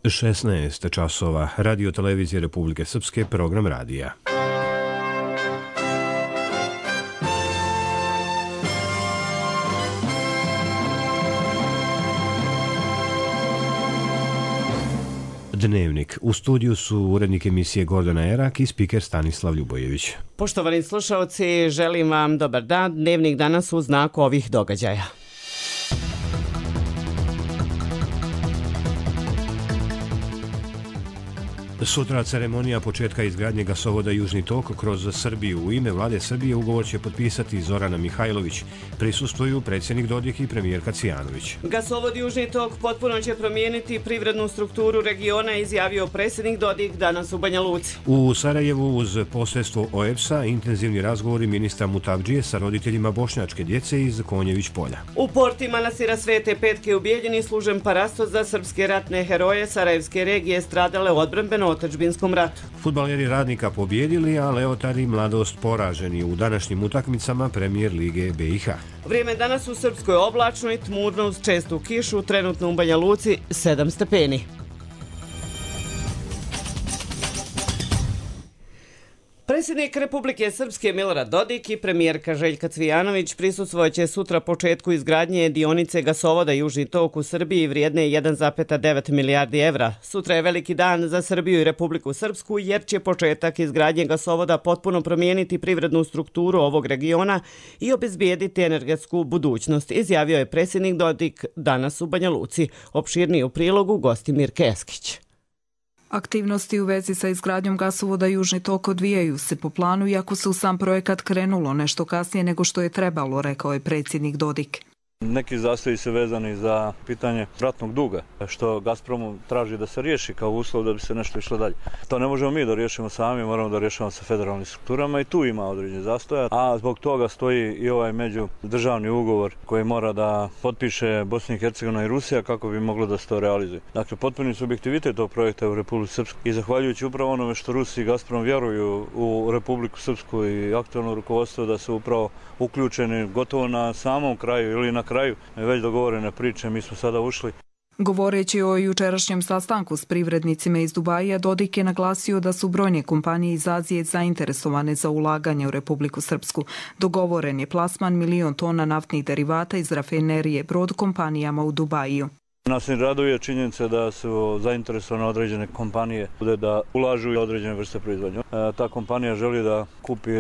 16 časova. Radio televizije Republike Srpske, program radija. Dnevnik. U studiju su urednik emisije Gordana Erak i spiker Stanislav Ljubojević. Poštovani slušalci, želim vam dobar dan. Dnevnik danas u znaku ovih događaja. Sutra ceremonija početka izgradnje gasovoda Južni tok kroz Srbiju. U ime vlade Srbije ugovor će potpisati Zorana Mihajlović. Prisustvuju predsjednik Dodik i premijerka Cijanović. Gasovod Južni tok potpuno će promijeniti privrednu strukturu regiona, izjavio predsjednik Dodik danas u Banja Luci. U Sarajevu uz posredstvo OEBS-a intenzivni razgovori ministra Mutavdžije sa roditeljima bošnjačke djece iz Konjević polja. U porti manastira Svete Petke u Bijeljini služen parastos za srpske ratne heroje Sarajevske regije stradale u odbrambenom otadžbinskom ratu. Fudbaleri Radnika pobjedili, a Leotari Mladost poraženi u današnjim utakmicama Premijer Lige BiH. Vrijeme danas u Srpskoj oblačno i tmurno uz čestu kišu, trenutno u Banja Luci 7 stepeni. Predsjednik Republike Srpske Milorad Dodik i premijerka Željka Cvijanović prisustvovat će sutra početku izgradnje dionice gasovoda Južni tok u Srbiji vrijedne 1,9 milijardi evra. Sutra je veliki dan za Srbiju i Republiku Srpsku jer će početak izgradnje gasovoda potpuno promijeniti privrednu strukturu ovog regiona i obezbijediti energetsku budućnost, izjavio je predsjednik Dodik danas u Banja Luci. Opširniji u prilogu Gostimir Keskić. Aktivnosti u vezi sa izgradnjom gasovoda Južni tok odvijaju se po planu, iako se u sam projekat krenulo nešto kasnije nego što je trebalo, rekao je predsjednik Dodik. Neki zastoji se vezani za pitanje ratnog duga, što Gazpromu traži da se riješi kao uslov da bi se nešto išlo dalje. To ne možemo mi da riješimo sami, moramo da rješavamo sa federalnim strukturama i tu ima određenih zastoja, a zbog toga stoji i ovaj međudržavni ugovor koji mora da potpiše Bosna i Hercegovina i Rusija kako bi moglo da se to realizuje. Dakle, potpuni subjektivitet tog projekta u Republiku Srpsku i zahvaljujući upravo onome što Rusi i Gazprom vjeruju u Republiku Srpsku i aktualno rukovodstvo da su upravo uključeni gotovo na samom kraju ili na kraju već dogovorene priče, mi smo sada ušli. Govoreći o jučerašnjem sastanku s privrednicima iz Dubaija, Dodik je naglasio da su brojne kompanije iz Azije zainteresovane za ulaganje u Republiku Srpsku. Dogovoren je plasman 1.000.000 tona naftnih derivata iz rafinerije Brod kompanijama u Dubaju. Nas raduje činjenica da su zainteresovane određene kompanije da ulažu i određene vrste proizvodnje. Ta kompanija želi da kupi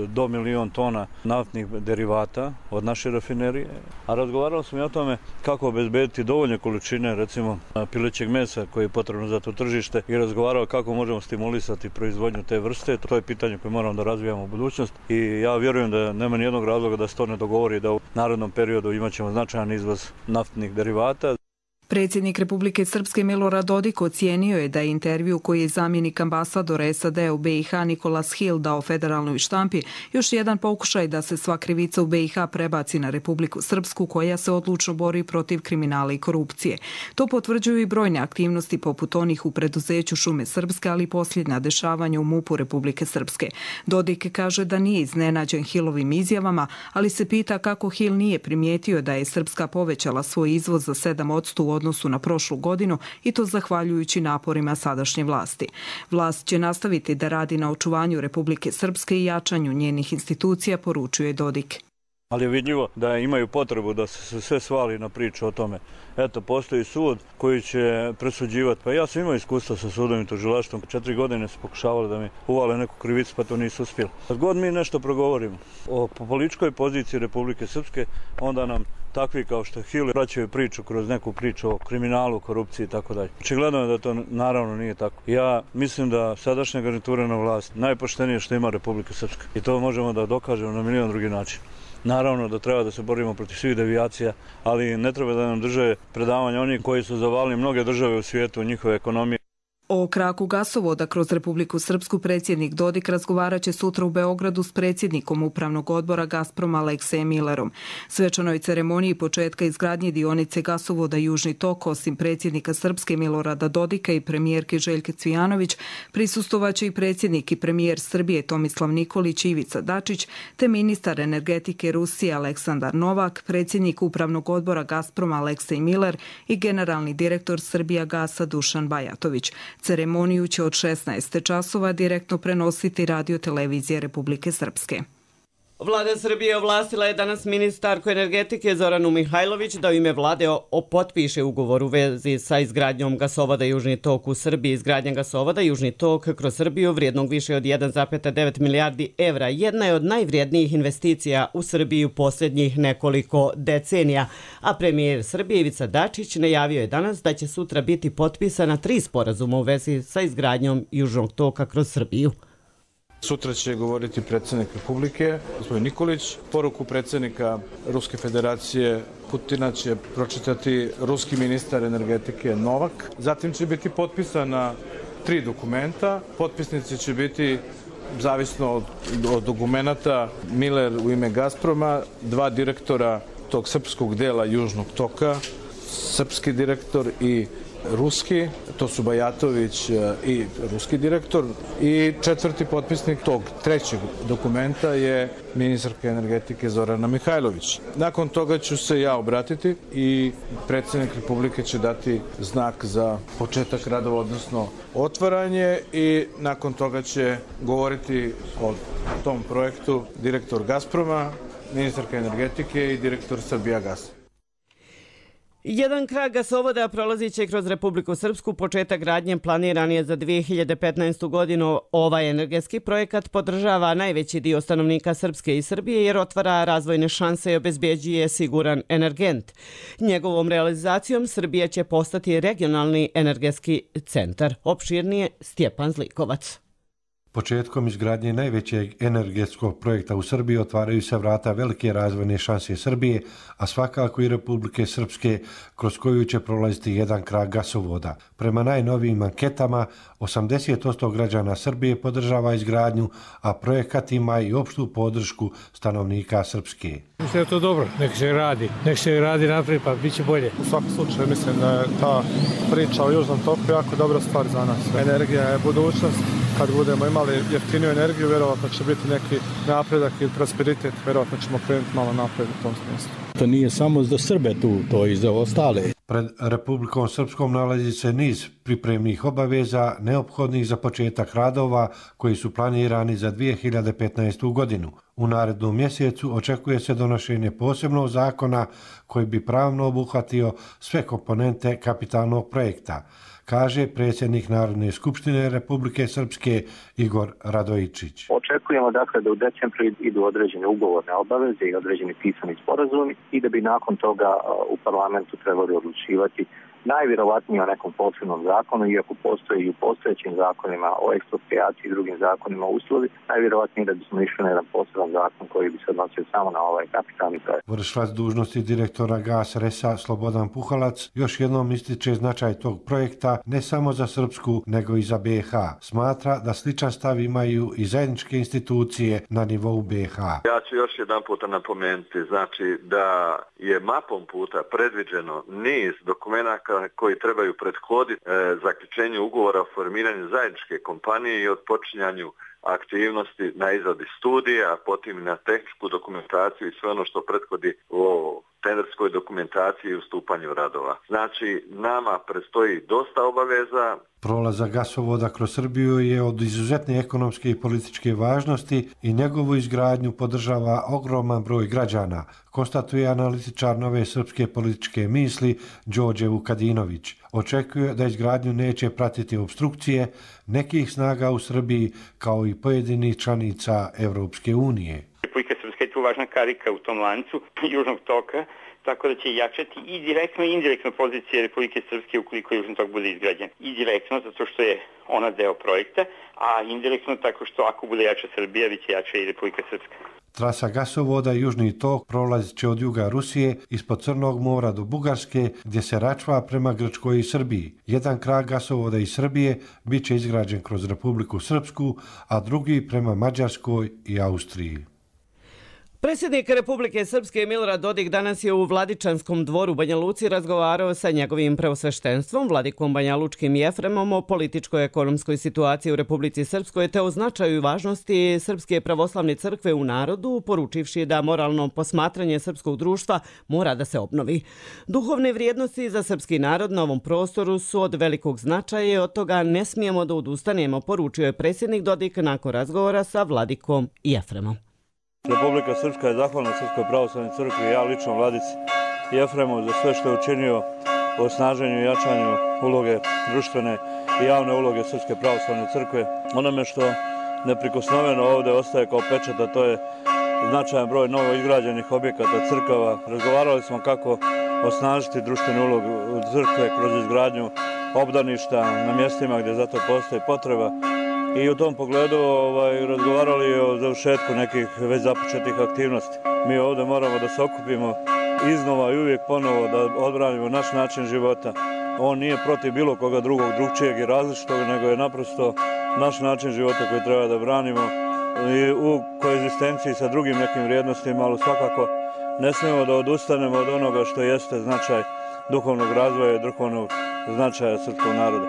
do 1.000.000 tona naftnih derivata od naše rafinerije, a razgovarali smo i o tome kako obezbediti dovoljne količine, recimo pilećeg mesa koje je potrebno za to tržište i razgovarao kako možemo stimulisati proizvodnju te vrste. To je pitanje koje moramo da razvijamo u budućnost i ja vjerujem da nema nijednog razloga da se to ne dogovori, da u narednom periodu imat ćemo značajan izvoz naftnih derivata. Predsjednik Republike Srpske Milorad Dodik ocijenio je da je intervju koji je zamjenik ambasadora SAD u BiH Nikolas Hill dao federalnoj štampi još jedan pokušaj da se sva krivica u BiH prebaci na Republiku Srpsku koja se odlučno bori protiv kriminala i korupcije. To potvrđuju i brojne aktivnosti poput onih u preduzeću Šume Srpske, ali i posljednja dešavanja u MUP-u Republike Srpske. Dodik kaže da nije iznenađen Hillovim izjavama, ali se pita kako Hill nije primijetio da je Srpska povećala svoj izvoz za 7% u odnosu na prošlu godinu i to zahvaljujući naporima sadašnje vlasti. Vlast će nastaviti da radi na očuvanju Republike Srpske i jačanju njenih institucija, poručuje Dodik. Ali je vidljivo da imaju potrebu da se sve svali na priču o tome. Eto, postoji sud koji će presuđivati. Pa ja sam imao iskustva sa sudom i tužilaštvom. 4 godine su pokušavali da mi uvale neku krivicu, pa to nisu uspjeli. Kad god mi nešto progovorimo o političkoj poziciji Republike Srpske, onda nam takvi kao što Hill vraćaju priču kroz neku priču o kriminalu, korupciji i tako dalje. Očigledno je da to naravno nije tako. Ja mislim da sadašnja garnitura na vlast najpoštenije što ima Republika Srpska. I to možemo da dokažemo na milion drugi način. Naravno da treba da se borimo protiv svih devijacija, ali ne treba da nam drže predavanja oni koji su zavalili mnoge države u svijetu, njihove ekonomije. O kraku gasovoda kroz Republiku Srpsku predsjednik Dodik razgovarat će sutra u Beogradu s predsjednikom Upravnog odbora Gazproma Aleksejem Millerom. Svečanoj ceremoniji početka izgradnje dionice gasovoda Južni tok, osim predsjednika Srpske Milorada Dodika i premijerke Željke Cvijanović, prisustvovaće i predsjednik i premijer Srbije Tomislav Nikolić i Ivica Dačić, te ministar energetike Rusije Aleksandar Novak, predsjednik Upravnog odbora Gazproma Aleksej Miller i generalni direktor Srbijagasa Dušan Bajatović. Ceremoniju će od 16 časova direktno prenositi Radio televizije Republike Srpske. Vlada Srbije ovlastila je danas ministarku energetike Zoranu Mihajlović da u ime vlade potpiše ugovor u vezi sa izgradnjom gasovoda Južni tok u Srbiji. Izgradnja gasovoda Južni tok kroz Srbiju vrijednog više od 1,9 milijardi evra jedna je od najvrijednijih investicija u Srbiji u posljednjih nekoliko decenija. A premijer Srbije Ivica Dačić najavio je danas da će sutra biti potpisana 3 sporazuma u vezi sa izgradnjom Južnog toka kroz Srbiju. Sutra će govoriti predsjednik Republike, gospodin Nikolić. Poruku predsjednika Ruske federacije Putina će pročitati ruski ministar energetike Novak. Zatim će biti potpisana 3 dokumenta. Potpisnici će biti, zavisno od dokumenata, Miller u ime Gazproma, 2 direktora tog srpskog dela Južnog toka, srpski direktor i ruski, to su Bajatović i ruski direktor, i 4. potpisnik tog 3. dokumenta je ministarka energetike Zorana Mihajlović. Nakon toga ću se ja obratiti i predsjednik Republike će dati znak za početak radova, odnosno otvaranje, i nakon toga će govoriti o tom projektu direktor Gazproma, ministarka energetike i direktor Srbijagasa. Jedan krak gasovoda prolazit će kroz Republiku Srpsku. Početak gradnje planiran je za 2015. godinu. Ovaj energetski projekat podržava najveći dio stanovnika Srpske i Srbije jer otvara razvojne šanse i obezbeđuje siguran energent. Njegovom realizacijom Srbija će postati regionalni energetski centar. Opširnije Stjepan Zlikovac. Početkom izgradnje najvećeg energetskog projekta u Srbiji otvaraju se vrata velike razvojne šanse Srbije, a svakako i Republike Srpske, kroz koju će prolaziti jedan krak gasovoda. Prema najnovijim anketama, 80% građana Srbije podržava izgradnju, a projekat ima i opštu podršku stanovnika Srpske. Mislim da je to dobro, nek se radi naprijed, pa bit će bolje. U svakom slučaju mislim da je ta priča o Južnom toku jako dobra stvar za nas. Energija je budućnost. Kad budemo imali jeftiniju energiju, vjerovatno će biti neki napredak i prosperitet, vjerovatno ćemo krenuti malo napred u tom smislu. To nije samo za Srbe tu, to i za ostale. Pred Republikom Srpskom nalazi se niz pripremnih obaveza neophodnih za početak radova koji su planirani za 2015. godinu. U narednom mjesecu očekuje se donošenje posebnog zakona koji bi pravno obuhvatio sve komponente kapitalnog projekta, kaže predsjednik Narodne skupštine Republike Srpske Igor Radojičić. Očekujemo dakle da u decembru idu određene ugovorne obaveze i određeni pisani sporazumi i da bi nakon toga u parlamentu trebali odlučivati najvjerovatnije o nekom posebnom zakonu, iako postoji i u postojećim zakonima o eksproprijaciji i drugim zakonima uslovi, najvjerovatnije da bismo išli na jedan poseban zakon koji bi se odnosio samo na ovaj kapitalni projekt. Vršilac dužnosti direktora GAS RES-a Slobodan Puhalac još jednom ističe značaj tog projekta ne samo za Srpsku, nego i za BiH. Smatra da sličan stav imaju i zajedničke institucije na nivou BiH. Ja ću još jedan puta napomenuti, znači da je mapom puta predviđeno niz dokumenata koji trebaju prethoditi zaključenju ugovora o formiranju zajedničke kompanije i odpočinjanju aktivnosti na izradi studija, a potom na tehničku dokumentaciju i sve ono što prethodi o tenderskoj dokumentaciji i ustupanju radova. Znači, nama predstoji dosta obaveza. Prolazak gasovoda kroz Srbiju je od izuzetne ekonomske i političke važnosti i njegovu izgradnju podržava ogroman broj građana, konstatuje analitičar Nove srpske političke misli Đorđe Vukadinović. Očekuje da izgradnju neće pratiti obstrukcije nekih snaga u Srbiji kao i pojedinih članica Evropske unije. Republika Srpska je tu važna karika u tom lancu Južnog toka, tako da će jačati i direktno i indirektno pozicije Republike Srpske ukoliko Južni tok bude izgrađen. I direktno zato što je ona deo projekta, a indirektno tako što ako bude jača Srbija, bit će jača i Republika Srpska. Trasa gasovoda Južni tok prolazit će od juga Rusije ispod Crnog mora do Bugarske, gdje se račva prema Grčkoj i Srbiji. Jedan krak gasovoda iz Srbije bit će izgrađen kroz Republiku Srpsku, a drugi prema Mađarskoj i Austriji. Predsjednik Republike Srpske Milorad Dodik danas je u Vladičanskom dvoru u Banja Luci razgovarao sa njegovim preosveštenstvom, vladikom Banjalučkim Jefremom, o političkoj ekonomskoj situaciji u Republici Srpskoj te o značaju i važnosti Srpske pravoslavne crkve u narodu, poručivši da moralno posmatranje srpskog društva mora da se obnovi. Duhovne vrijednosti za srpski narod na ovom prostoru su od velikog značaja i od toga ne smijemo da odustanemo, poručio je predsjednik Dodik nakon razgovora sa vladikom Jefremom. Republika Srpska je zahvalna Srpskoj pravoslavnoj crkvi i ja lično vladici Jefremu za sve što je učinio u osnaženju i jačanju uloge društvene i javne uloge Srpske pravoslavne crkve. Onome što neprikosnoveno ovdje ostaje kao pečat, a to je značajan broj novo izgrađenih objekata crkava. Razgovarali smo kako osnažiti društvenu ulogu crkve kroz izgradnju obdaništa na mjestima gdje zato postoji potreba. I u tom pogledu razgovarali o završetku nekih već započetih aktivnosti. Mi ovdje moramo da se okupimo iznova i uvijek ponovo da odbranimo naš način života. On nije protiv bilo koga drugog, drugčijeg i različitog, nego je naprosto naš način života koji treba da branimo i u koegzistenciji sa drugim nekim vrijednostima, ali svakako ne smijemo da odustanemo od onoga što jeste značaj duhovnog razvoja i duhovnog značaja srpskog naroda.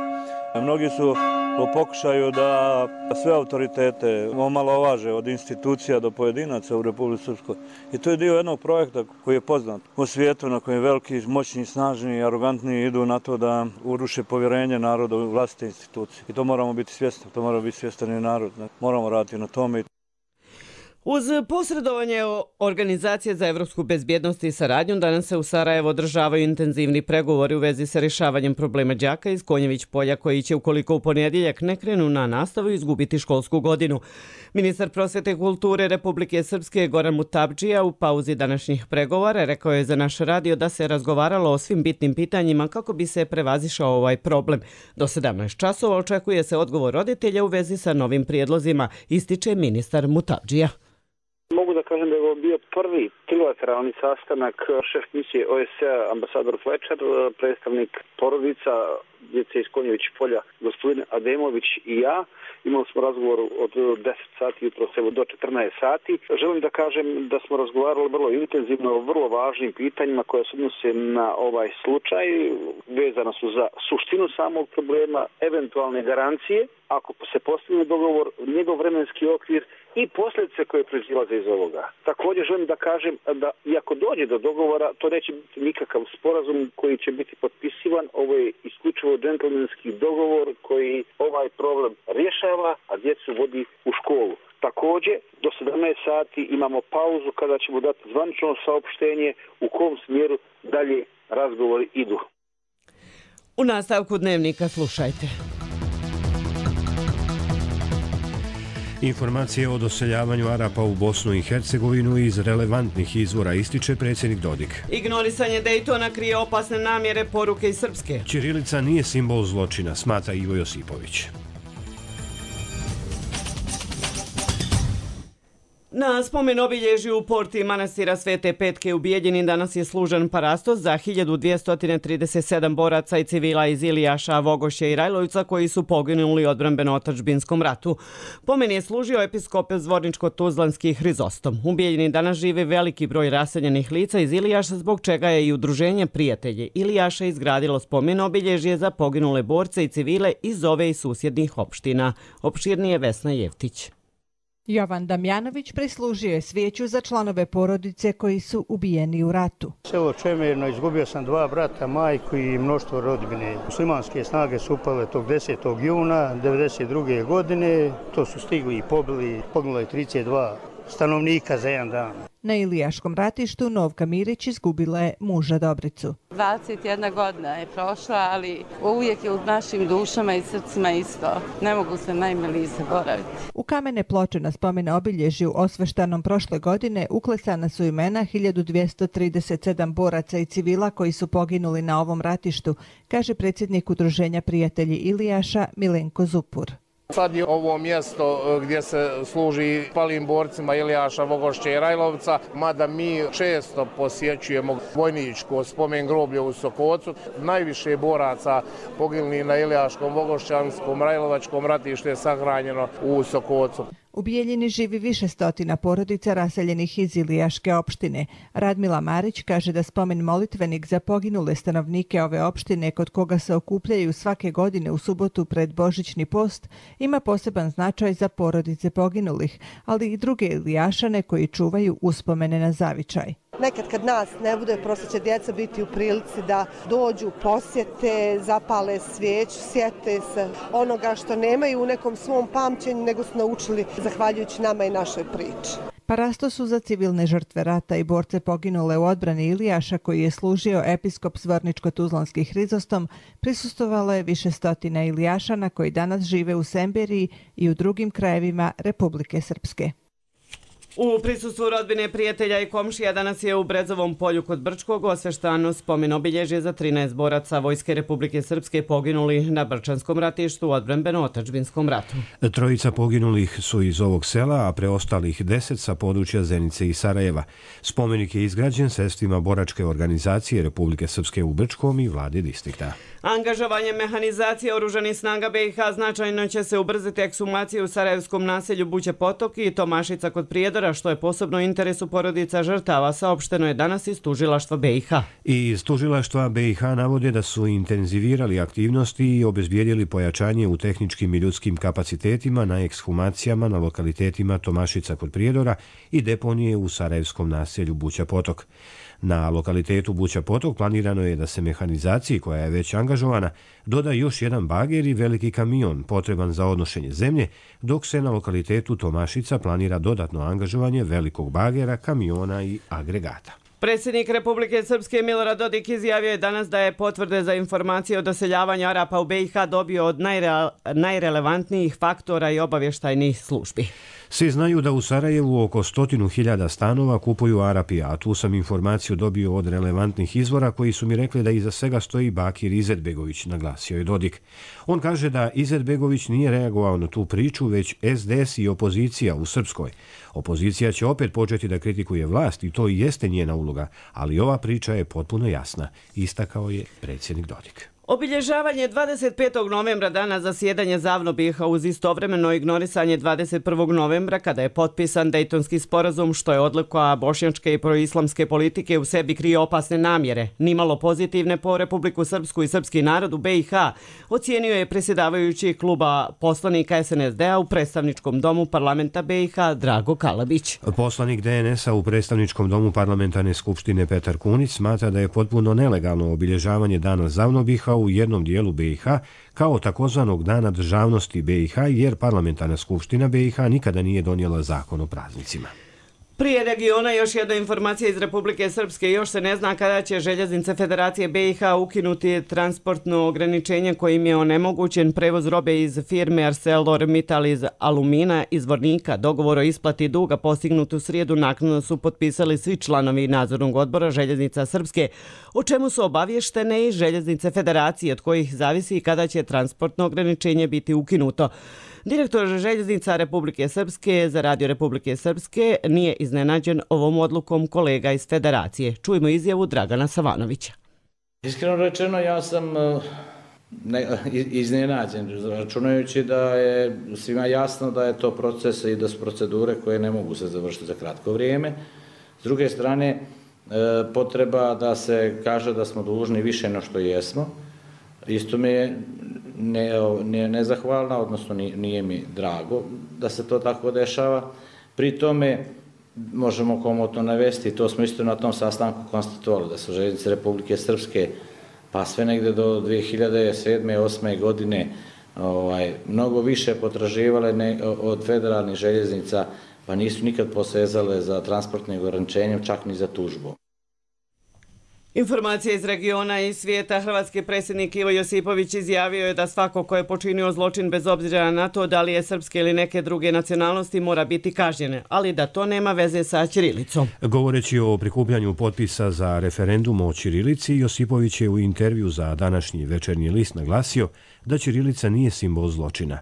Mnogi su u pokušaju da sve autoritete omalovaže od institucija do pojedinaca u Republici Srpskoj. I to je dio jednog projekta koji je poznat u svijetu na kojem veliki, moćni, snažni i arogantni idu na to da uruše povjerenje naroda u vlastite institucije. I to moramo biti svjesni, to mora biti svjestan i narod. Moramo raditi na tome. Uz posredovanje Organizacije za evropsku bezbjednost i saradnju, danas se u Sarajevo održavaju intenzivni pregovori u vezi sa rješavanjem problema đaka iz Konjević polja koji će, ukoliko u ponedjeljak ne krenu na nastavu, izgubiti školsku godinu. Ministar prosvjete i kulture Republike Srpske Goran Mutabdžija u pauzi današnjih pregovora rekao je za naš radio da se razgovaralo o svim bitnim pitanjima kako bi se prevazišao ovaj problem. Do 17 časova očekuje se odgovor roditelja u vezi sa novim prijedlozima, ističe ministar Mutabdžija. Mogu da kažem da je ovo bio prvi trilateralni sastanak, šef misije OSCE ambasador Fletcher, predstavnik porodica djece iz Konjević polja, gospodin Ademović i ja. Imali smo razgovor od 10 sati jutro do 14 sati. Želim da kažem da smo razgovarali vrlo intenzivno o vrlo važnim pitanjima koje se odnose na ovaj slučaj. Vezana su za suštinu samog problema, eventualne garancije, ako se postigne dogovor, njegov vremenski okvir i posljedice koje proizilaze iz ovoga. Također želim da kažem da iako dođe do dogovora, to neće biti nikakav sporazum koji će biti potpisivan. Ovo je isključivo džentlmenski dogovor koji ovaj problem rješava, a djecu vodi u školu. Također, do 17 sati imamo pauzu kada ćemo dati zvanično saopštenje u kom smjeru dalje razgovori idu. U nastavku dnevnika slušajte. Informacije o doseljavanju Arapa u Bosnu i Hercegovinu iz relevantnih izvora ističe predsjednik Dodik. Ignorisanje Dejtona krije opasne namjere, poruke iz Srpske. Ćirilica nije simbol zločina, smatra Ivo Josipović. Na spomen obilježju u porti manastira Svete Petke u Bijeljini danas je služen parastos za 1237 boraca i civila iz Ilijaša, Vogošće i Rajlovca koji su poginuli u odbrambeno-otadžbinskom ratu. Pomen je služio episkop Zvorničko-Tuzlanski Hrizostom. U Bijeljini danas živi veliki broj raseljenih lica iz Ilijaša, zbog čega je i udruženje Prijatelje Ilijaša izgradilo spomen obilježje za poginule borce i civile iz ove i susjednih opština. Opširnije Vesna Jevtić. Jovan Damjanović prislužio je svijeću za članove porodice koji su ubijeni u ratu. Selo Čemerno, izgubio sam 2 brata, majku i mnoštvo rodbine. Muslimanske snage su upale tog 10. juna 1992. godine. To su stigli i pobili, poginulo je 32 stanovnika za jedan dan. Na Ilijaškom ratištu Novka Mirić izgubila je muža Dobricu. 21 godina je prošla, ali uvijek je u našim dušama i srcima isto. Ne mogu se najmiliji zaboraviti. U kamene ploče na spomen obilježju osveštanom prošle godine uklesana su imena 1237 boraca i civila koji su poginuli na ovom ratištu, kaže predsjednik udruženja Prijatelji Ilijaša Milenko Zupur. Sad je ovo mjesto gdje se služi palim borcima Ilijaša, Vogošće i Rajlovca, mada mi često posjećujemo vojničko spomen groblje u Sokocu. Najviše boraca poginulih na Ilijaškom, Vogošćanskom, Rajlovačkom ratištu je sahranjeno u Sokocu. U Bijeljini živi više stotina porodica raseljenih iz Ilijaške opštine. Radmila Marić kaže da spomen molitvenik za poginule stanovnike ove opštine, kod koga se okupljaju svake godine u subotu pred Božićni post, ima poseban značaj za porodice poginulih, ali i druge Ilijašane koji čuvaju uspomene na zavičaj. Nekad kad nas ne bude, prosto će djeca biti u prilici da dođu, posjete, zapale svijeću, sjete se onoga što nemaju u nekom svom pamćenju, nego su naučili zahvaljujući nama i našoj priči. Parasto su za civilne žrtve rata i borce poginule u odbrani Ilijaša, koji je služio episkop Zvorničko-Tuzlanski Hrizostom, prisustvovalo je više stotina Ilijašana koji danas žive u Semberiji i u drugim krajevima Republike Srpske. U prisustvu rodbine, prijatelja i komšija danas je u Brezovom polju kod Brčkog osveštano spomen obilježje za 13 boraca Vojske Republike Srpske poginuli na Brčanskom ratištu u odbrambeno-otadžbinskom ratu. Trojica poginulih su iz ovog sela, a preostalih 10 sa područja Zenice i Sarajeva. Spomenik je izgrađen sredstvima boračke organizacije Republike Srpske u Brčkom i vlade distrikta. Angažovanje mehanizacije oružanih snaga BiH značajno će se ubrzati ekshumaciju u sarajevskom naselju Buće Potok i Tomašica kod Prijedora, što je posebno interesu porodica žrtava, saopšteno je danas iz tužilaštva BiH. I iz tužilaštva BiH navode da su intenzivirali aktivnosti i obezbijedili pojačanje u tehničkim i ljudskim kapacitetima na ekshumacijama na lokalitetima Tomašica kod Prijedora i deponije u sarajevskom naselju Buća Potok. Na lokalitetu Buća Potok planirano je da se mehanizaciji, koja je već angažovana, doda još jedan bager i veliki kamion potreban za odnošenje zemlje, dok se na lokalitetu Tomašica planira dodatno angažovanje velikog bagera, kamiona i agregata. Predsjednik Republike Srpske Milorad Dodik izjavio je danas da je potvrde za informacije o doseljavanju Arapa u BiH dobio od najrelevantnijih faktora i obavještajnih službi. Svi znaju da u Sarajevu oko 100.000 stanova kupuju Arapi, a tu sam informaciju dobio od relevantnih izvora koji su mi rekli da iza svega stoji Bakir Izetbegović, naglasio je Dodik. On kaže da Izetbegović nije reagovao na tu priču, već SDS i opozicija u Srpskoj. Opozicija će opet početi da kritikuje vlast i to i jeste njena uloga, ali ova priča je potpuno jasna, istakao je predsjednik Dodik. Obilježavanje 25. novembra, dana zasjedanja ZAVNO BiH, uz istovremeno ignorisanje 21. novembra kada je potpisan Dejtonski sporazum, što je odlika bošnjačke i proislamske politike, u sebi krije opasne namjere, nimalo pozitivne po Republiku Srpsku i srpski narod u BiH, ocijenio je predsjedavajući kluba poslanika SNSD-a u predstavničkom domu parlamenta BiH Drago Kalabić. Poslanik DNS-a u predstavničkom domu parlamentarne skupštine Petar Kunić smatra da je potpuno nelegalno obilježavanje dana ZAVNO BiH u jednom dijelu BiH kao takozvanog dana državnosti BiH, jer parlamentarna skupština BiH nikada nije donijela zakon o praznicima. Prije regiona još jedna informacija iz Republike Srpske. Još se ne zna kada će Željeznice Federacije BiH ukinuti transportno ograničenje kojim je onemogućen prevoz robe iz firme ArcelorMittal iz Alumina iz Zvornika. Dogovor o isplati duga postignut u srijedu naknadno su potpisali svi članovi nadzornog odbora Željeznica Srpske, o čemu su obavještene i Željeznice Federacije, od kojih zavisi kada će transportno ograničenje biti ukinuto. Direktor Željeznica Republike Srpske za Radio Republike Srpske nije iznenađen ovom odlukom kolega iz Federacije. Čujmo izjavu Dragana Savanovića. Iskreno rečeno, ja sam iznenađen, računajući da je svima jasno da je to proces i da su procedure koje ne mogu se završiti za kratko vrijeme. S druge strane, potreba da se kaže da smo dužni više no što jesmo, isto mi je nezahvalna, odnosno nije mi drago da se to tako dešava. Pri tome možemo komotno navesti, to smo isto na tom sastanku konstatovali, da su Željeznice Republike Srpske pa sve negde do 2007-2008. godine mnogo više potraživale od federalnih željeznica, pa nisu nikad posezale za transportnim ograničenjem, čak ni za tužbu. Informacije iz regiona i svijeta. Hrvatski predsjednik Ivo Josipović izjavio je da svako ko je počinio zločin, bez obzira na to da li je srpske ili neke druge nacionalnosti, mora biti kažnjen, ali da to nema veze sa ćirilicom. Govoreći o prikupljanju potpisa za referendum o ćirilici, Josipović je u intervju za današnji Večernji list naglasio da ćirilica nije simbol zločina.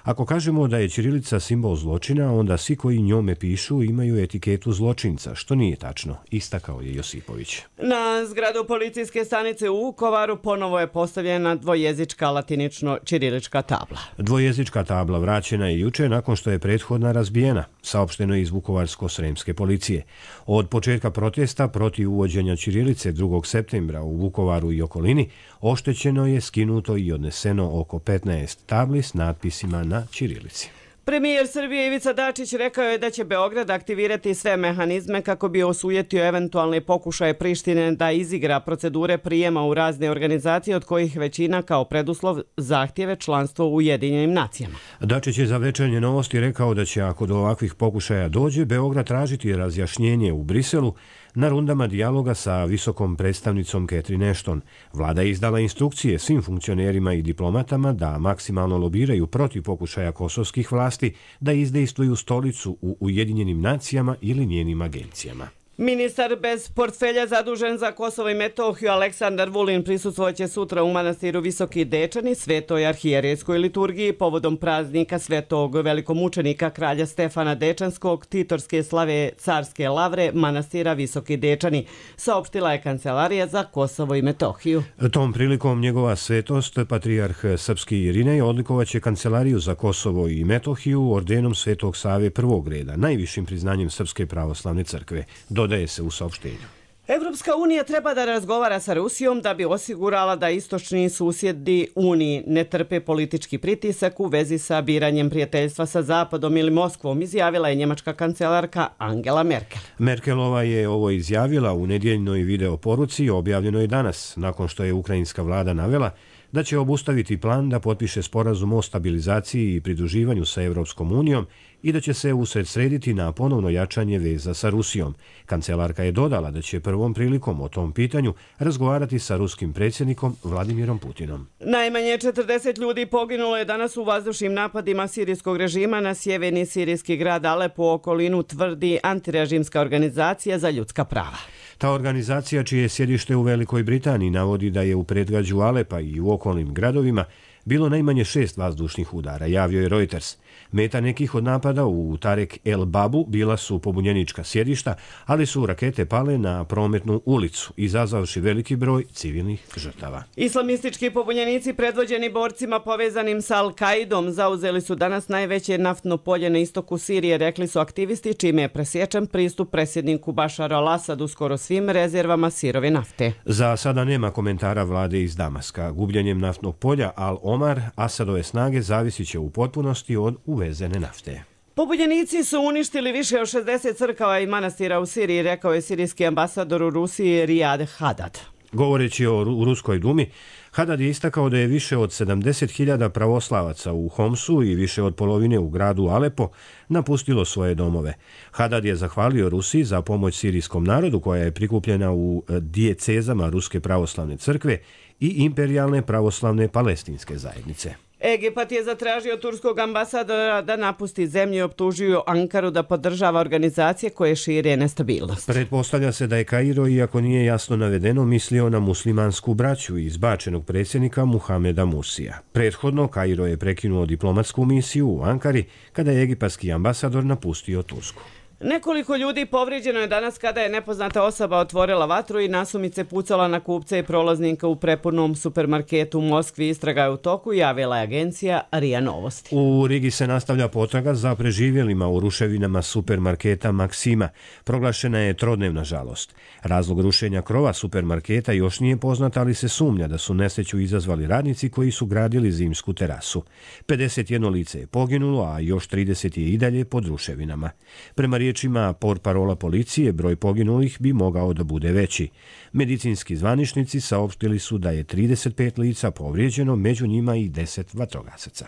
Ako kažemo da je ćirilica simbol zločina, onda svi koji njome pišu imaju etiketu zločinca, što nije tačno, istakao je Josipović. Na zgradu policijske stanice u Vukovaru ponovo je postavljena dvojezička latinično-ćirilička tabla. Dvojezička tabla vraćena je juče nakon što je prethodna razbijena, saopšteno je iz Vukovarsko-sremske policije. Od početka protesta protiv uvođenja ćirilice 2. septembra u Vukovaru i okolini oštećeno je, skinuto i odneseno oko 15 tabli s natpisima na ćirilici. Premijer Srbije Ivica Dačić rekao je da će Beograd aktivirati sve mehanizme kako bi osujetio eventualne pokušaje Prištine da izigra procedure prijema u razne organizacije, od kojih većina kao preduslov zahtjeve članstvo u Ujedinjenim nacijama. Dačić je za Večernje novosti rekao da će, ako do ovakvih pokušaja dođe, Beograd tražiti razjašnjenje u Briselu na rundama dijaloga sa visokom predstavnicom Catherine Ashton. Vlada je izdala instrukcije svim funkcionerima i diplomatama da maksimalno lobiraju protiv pokušaja kosovskih vlasti da izdejstvuju stolicu u Ujedinjenim nacijama ili njenim agencijama. Ministar bez portfelja zadužen za Kosovo i Metohiju Aleksandar Vulin prisustvovat sutra u manastiru Visoki Dečani Svetoj arhijerejskoj liturgiji povodom praznika svetog velikomučenika kralja Stefana Dečanskog, titorske slave carske lavre manastira Visoki Dečani, saopštila je Kancelarija za Kosovo i Metohiju. Tom prilikom njegova svetost, patrijarh srpski Irinej, odlikovaće Kancelariju za Kosovo i Metohiju ordenom Svetog Save prvog reda, najvišim priznanjem Srpske pravoslavne crkve. Dodaje se u saopštenju. Evropska unija treba da razgovara sa Rusijom da bi osigurala da istočni susjedi Uniji ne trpe politički pritisak u vezi sa biranjem prijateljstva sa Zapadom ili Moskvom, izjavila je njemačka kancelarka Angela Merkel. Merkelova je ovo izjavila u nedjeljnoj video poruci objavljenoj danas, nakon što je ukrajinska vlada navela da će obustaviti plan da potpiše sporazum o stabilizaciji i pridruživanju sa Evropskom unijom i da će se usredsrediti na ponovno jačanje veza sa Rusijom. Kancelarka je dodala da će prvom prilikom o tom pitanju razgovarati sa ruskim predsjednikom Vladimirom Putinom. Najmanje 40 ljudi poginulo je danas u vazdušnim napadima sirijskog režima na sjeverni sirijski grad Alepo, u okolinu, tvrdi antirežimska organizacija za ljudska prava. Ta organizacija, čije je sjedište u Velikoj Britaniji, navodi da je u predgrađu Alepa i u okolnim gradovima bilo najmanje 6 vazdušnih udara, javio je Reuters. Meta nekih od napada u Tarek El Babu bila su pobunjenička sjedišta, ali su rakete pale na prometnu ulicu, izazvavši veliki broj civilnih žrtava. Islamistički pobunjenici predvođeni borcima povezanim sa Al-Kaidom zauzeli su danas najveće naftno polje na istoku Sirije, rekli su aktivisti, čime je presječen pristup predsjedniku Bašaru al-Asadu skoro svim rezervama sirove nafte. Za sada nema komentara vlade iz Damaska. Gubljenjem naftnog polja Al-Omar, Asadove snage zavisit će u potpunosti od uvezene nafte. Pobunjenici su uništili više od 60 crkava i manastira u Siriji, rekao je sirijski ambasador u Rusiji Riyad Hadad. Govoreći o Ruskoj dumi, Hadad je istakao da je više od 70.000 pravoslavaca u Homsu i više od polovine u gradu Alepo napustilo svoje domove. Hadad je zahvalio Rusiji za pomoć sirijskom narodu koja je prikupljena u dijecezama Ruske pravoslavne crkve i imperijalne pravoslavne palestinske zajednice. Egipat je zatražio turskog ambasadora da napusti zemlju i optužio Ankaru da podržava organizacije koje šire nestabilnost. Pretpostavlja se da je Kairo, iako nije jasno navedeno, mislio na muslimansku braću izbačenog predsjednika Muhameda Mursija. Prethodno, Kairo je prekinuo diplomatsku misiju u Ankari kada je egipatski ambasador napustio Tursku. Nekoliko ljudi povrijeđeno je danas kada je nepoznata osoba otvorila vatru i nasumice pucala na kupce i prolaznika u prepunom supermarketu u Moskvi. Istraga je u toku, javila je agencija RIA Novosti. U Rigi se nastavlja potraga za preživjelima u ruševinama supermarketa Maksima. Proglašena je trodnevna žalost. Razlog rušenja krova supermarketa još nije poznat, ali se sumnja da su nesreću izazvali radnici koji su gradili zimsku terasu. 51 lice je poginulo, a još 30 je i dalje pod ruševinama. Prema riječima portparola policije, broj poginulih bi mogao da bude veći. Medicinski zvaničnici saopštili su da je 35 lica povrijeđeno, među njima i 10 vatrogasaca.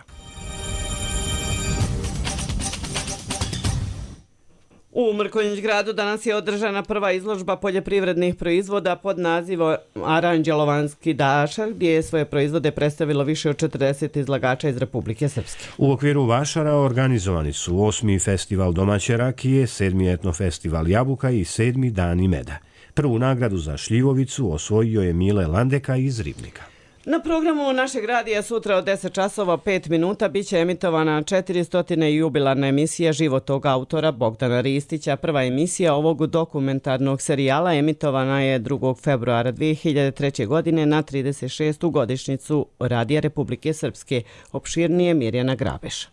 U Mrkonjić gradu danas je održana prva izložba poljoprivrednih proizvoda pod nazivom Aranđelovanski dašar, gdje je svoje proizvode predstavilo više od 40 izlagača iz Republike Srpske. U okviru Vašara organizovani su 8. festival domaće rakije, 7. etnofestival jabuka i 7. dani meda. Prvu nagradu za šljivovicu osvojio je Mile Landeka iz Ribnika. Na programu našeg radija sutra od 10 časova 5 minuta biće emitovana 400. jubilarna emisija životog autora Bogdana Ristića. Prva emisija ovog dokumentarnog serijala emitovana je 2. februara 2003. godine na 36. godišnjicu Radija Republike Srpske. Opširnije Mirjana Grabeš.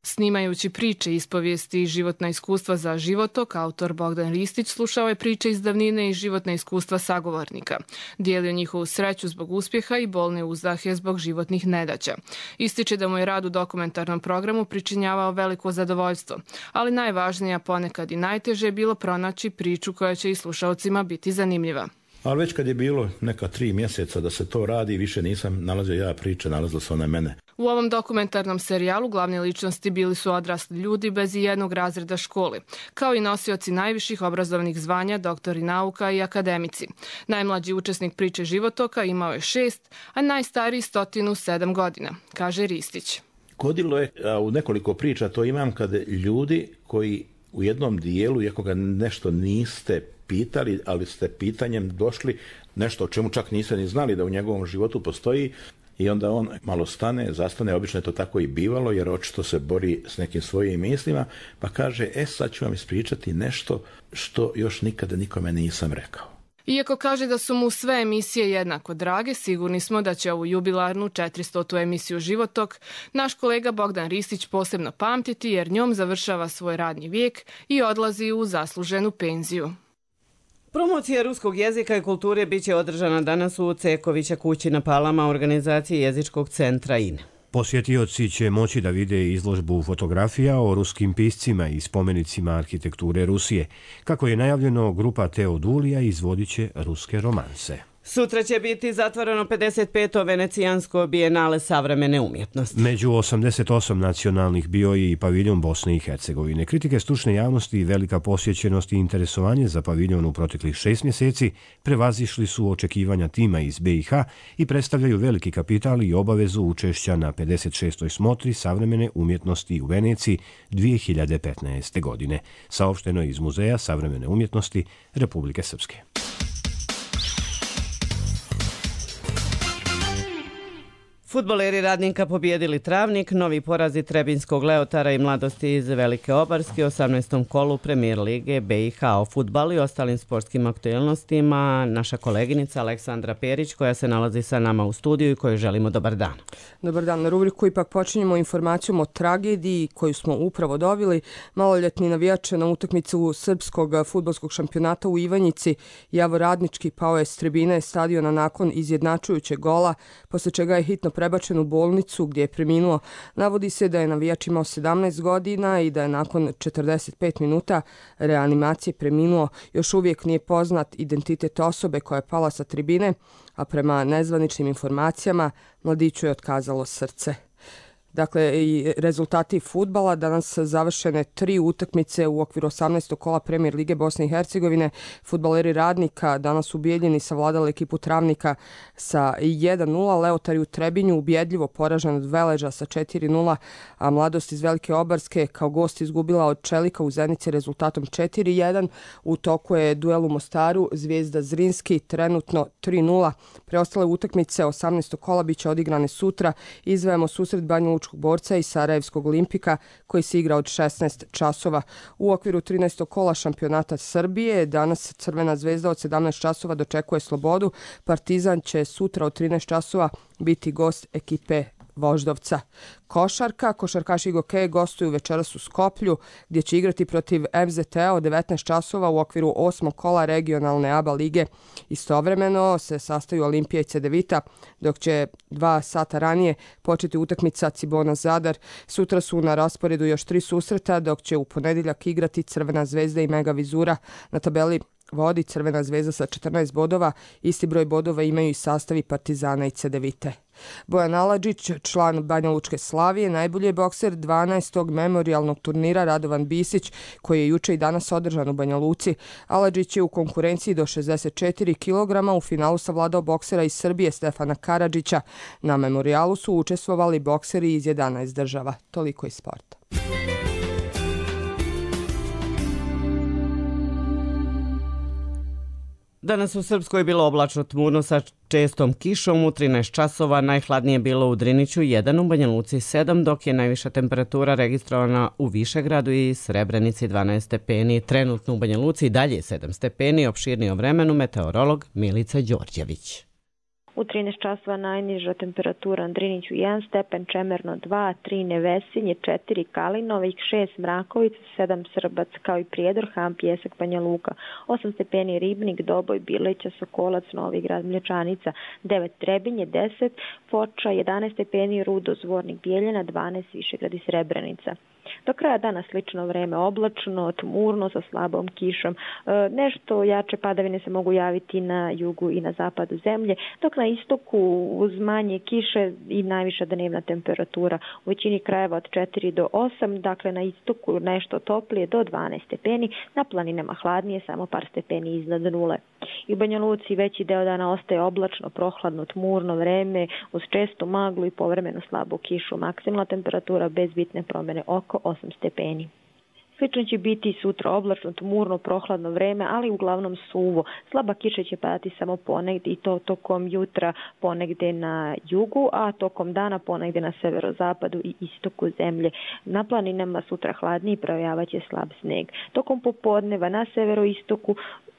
Snimajući priče, ispovijesti i životna iskustva za životok, autor Bogdan Ristić slušao je priče iz davnine i životna iskustva sagovornika. Dijelio njihovu sreću zbog uspjeha i bolne uzdahe zbog životnih nedaća. Ističe da mu je rad u dokumentarnom programu pričinjavao veliko zadovoljstvo, ali najvažnije, a ponekad i najteže je bilo pronaći priču koja će i slušalcima biti zanimljiva. Ali već kad je bilo neka 3 mjeseca da se to radi, više nisam nalazio ja priče, nalazilo se one mene. U ovom dokumentarnom serijalu glavne ličnosti bili su odrasli ljudi bez ijednog razreda škole, kao i nosioci najviših obrazovnih zvanja, doktori nauka i akademici. Najmlađi učesnik priče životoka imao je 6, a najstariji 107 godina, kaže Ristić. Godilo je, u nekoliko priča to imam, kad ljudi koji u jednom dijelu, iako ga nešto niste pitali, ali ste pitanjem došli, nešto o čemu čak niste ni znali da u njegovom životu postoji, i onda on malo zastane, obično je to tako i bivalo, jer očito se bori s nekim svojim mislima, pa kaže, sad ću vam ispričati nešto što još nikada nikome nisam rekao. Iako kaže da su mu sve emisije jednako drage, sigurni smo da će ovu jubilarnu 400. emisiju Životok naš kolega Bogdan Ristić posebno pamtiti, jer njom završava svoj radni vijek i odlazi u zasluženu penziju. Promocija ruskog jezika i kulture biće održana danas u Cekovića kući na Palama organizacije Jezičkog centra INE. Posjetioci će moći da vide izložbu fotografija o ruskim piscima i spomenicima arhitekture Rusije. Kako je najavljeno, grupa Teodulija izvodit će ruske romanse. Sutra će biti zatvoreno 55. Venecijansko bijenale savremene umjetnosti. Među 88 nacionalnih bio je i paviljon Bosne i Hercegovine. Kritike stručne javnosti i velika posjećenost i interesovanje za paviljon u proteklih 6 mjeseci prevazišli su očekivanja tima iz BiH i predstavljaju veliki kapital i obavezu učešća na 56. smotri savremene umjetnosti u Veneciji 2015. godine. Saopšteno je iz Muzeja savremene umjetnosti Republike Srpske. Fudbaleri Radnika pobijedili Travnik, novi porazi Trebinskog Leotara i Mladosti iz Velike Obarske u 18. kolu Premijer Lige BiH. O fudbalu i ostalim sportskim aktuelnostima naša koleginica Aleksandra Perić, koja se nalazi sa nama u studiju i kojoj želimo dobar dan. Dobar dan. Na rubriku ipak počinjemo informacijom o tragediji koju smo upravo dobili. Maloljetni navijač na utakmicu srpskog fudbalskog šampionata u Ivanjici, Javor Radnički, pao je s tribine stadiona nakon izjednačujućeg gola, posle čega je hitno prebačen u bolnicu gdje je preminuo. Navodi se da je navijač imao 17 godina i da je nakon 45 minuta reanimacije preminuo. Još uvijek nije poznat identitet osobe koja je pala sa tribine, a prema nezvaničnim informacijama mladiću je otkazalo srce. Dakle, i rezultati fudbala, danas završene 3 utakmice u okviru 18. kola Premijer Lige Bosne i Hercegovine. Fudbaleri Radnika danas u Bijeljini savladali ekipu Travnika sa 1-0, Leotari u Trebinju ubjedljivo poražen od Veleža sa 4-0, a Mladost iz Velike Obarske kao gost izgubila od Čelika u Zenici rezultatom 4-1. U toku je duel u Mostaru, Zvijezda Zrinski trenutno 3-0. Preostale utakmice 18. kola biće odigrane sutra. Izdvajamo susret Banja Borca i Sarajevskog Olimpika koji se igra od 16 časova. U okviru 13. kola šampionata Srbije danas Crvena zvezda od 17 časova dočekuje Slobodu. Partizan će sutra od 13 časova biti gost ekipe Voždovca. Košarkaši Gokeje gostuju večeras u Skoplju gdje će igrati protiv FZT-a od 19 časova u okviru 8. kola regionalne ABA lige. Istovremeno se sastaju Olimpija i Cedevita, dok će 2 sata ranije početi utakmica Cibona Zadar. Sutra su na rasporedu još 3 susreta, dok će u ponedjeljak igrati Crvena zvezda i Mega Vizura. Na tabeli vodi Crvena zvezda sa 14 bodova, isti broj bodova imaju i sastavi Partizana i Cedevite. Bojan Aladžić, član Banja Lučke Slavije, najbolji je bokser 12. memorijalnog turnira Radovan Bisić, koji je juče i danas održan u Banja Luci. Aladžić je u konkurenciji do 64 kg u finalu savladao boksera iz Srbije Stefana Karadžića. Na memorijalu su učestvovali bokseri iz 11 država. Toliko iz sporta. Danas u Srpskoj je bilo oblačno tmurno sa čestom kišom, u 13 časova najhladnije bilo u Driniću 1, u Banja Luci 7, dok je najviša temperatura registrovana u Višegradu i Srebrenici 12 stepeni. Trenutno u Banja Luci dalje 7 stepeni, opširnije o vremenu meteorolog Milica Đorđević. U 13 časova najniža temperatura na Driniću 1 stepen, Čemerno 2, 3 Nevesinje, 4 Kalinovik, 6 Mrakovica, 7 Srbac, kao i Prijedor, Ham, Pjesak, Banja Luka, 8 stepeni Ribnik, Doboj, Bileća, Sokolac, Novi Grad, Mlječanica, 9 Trebinje, 10 Foča, 11 stepeni Rudo, Zvornik, Bijeljina, 12 Višegrad i Srebrenica. Do kraja dana slično vreme, oblačno, tmurno sa slabom kišom. Nešto jače padavine se mogu javiti na jugu i na zapadu zemlje, dok na istoku uz manje kiše i najviša dnevna temperatura u većini krajeva od 4 do 8, dakle na istoku nešto toplije do 12 stepeni, na planinama hladnije samo par stepeni iznad nule. I u Banja Luci veći deo dana ostaje oblačno, prohladno, tmurno vreme uz čestu maglu i povremeno slabu kišu. Maksimalna temperatura bez bitne promjene oko 8 stepeni. Slično će biti sutra oblačno, tmurno, prohladno vreme, ali uglavnom suvo. Slaba kiša će padati samo ponegdje i to tokom jutra ponegdje na jugu, a tokom dana ponegdje na severozapadu i istoku zemlje. Na planinama sutra hladniji projavaće slab sneg. Tokom popodneva na severoistoku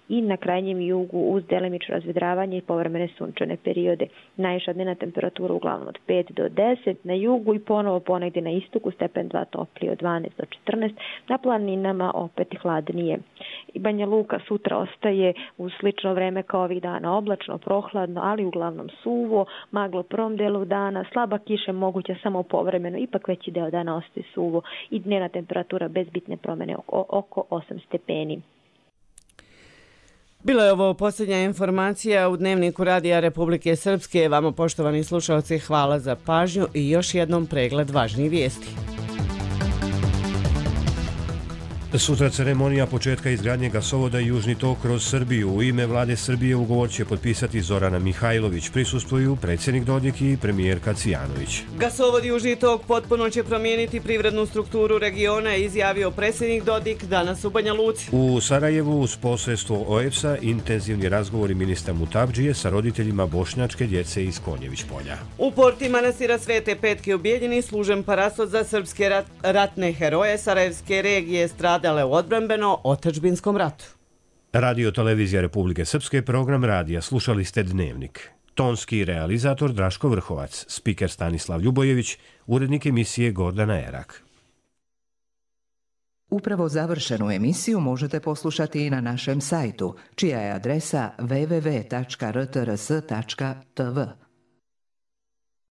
i na krajnjem jugu uz delimično razvedravanje i povremene sunčane periode. Najviša dnevna temperatura uglavnom od 5 do 10, na jugu i ponovo ponegdje na istoku stepen 2 toplije od 12 do 14, na planinama opet hladnije. I Banja Luka sutra ostaje u slično vreme kao ovih dana, oblačno, prohladno, ali uglavnom suvo, maglo prvom delu dana, slaba kiša moguća samo povremeno, ipak veći deo dana ostaje suvo i dnevna temperatura bez bitne promjene oko 8 stepeni. Bila je ovo posljednja informacija u Dnevniku Radija Republike Srpske. Vama, poštovani slušalci, hvala za pažnju i još jednom pregled važnih vijesti. Sutra ceremonija početka izgradnje gasovoda Južni tok kroz Srbiju. U ime vlade Srbije ugovor će potpisati Zorana Mihajlović. Prisustvuju predsjednik Dodik i premijerka Cvijanović. Gasovod Južni tok potpuno će promijeniti privrednu strukturu regiona, izjavio predsjednik Dodik danas u Banja Luci. U Sarajevu uz posredstvo OEPS-a intenzivni razgovori ministra Mutavdžije sa roditeljima bošnjačke djece iz Konjević polja. U porti manastira Svete Petke u Bijeljini služen parasod za srpske ratne heroje Sarajevske regije stradale u odbrambeno-otadžbinskom ratu. Radio Televizija Republike Srpske, program radija. Slušali ste Dnevnik. Tonski realizator Draško Vrhovac, spiker Stanislav Ljubojević, urednik emisije Gordana Erak. Upravo završenu emisiju možete poslušati i na našem sajtu, čija je adresa www.rtrs.tv.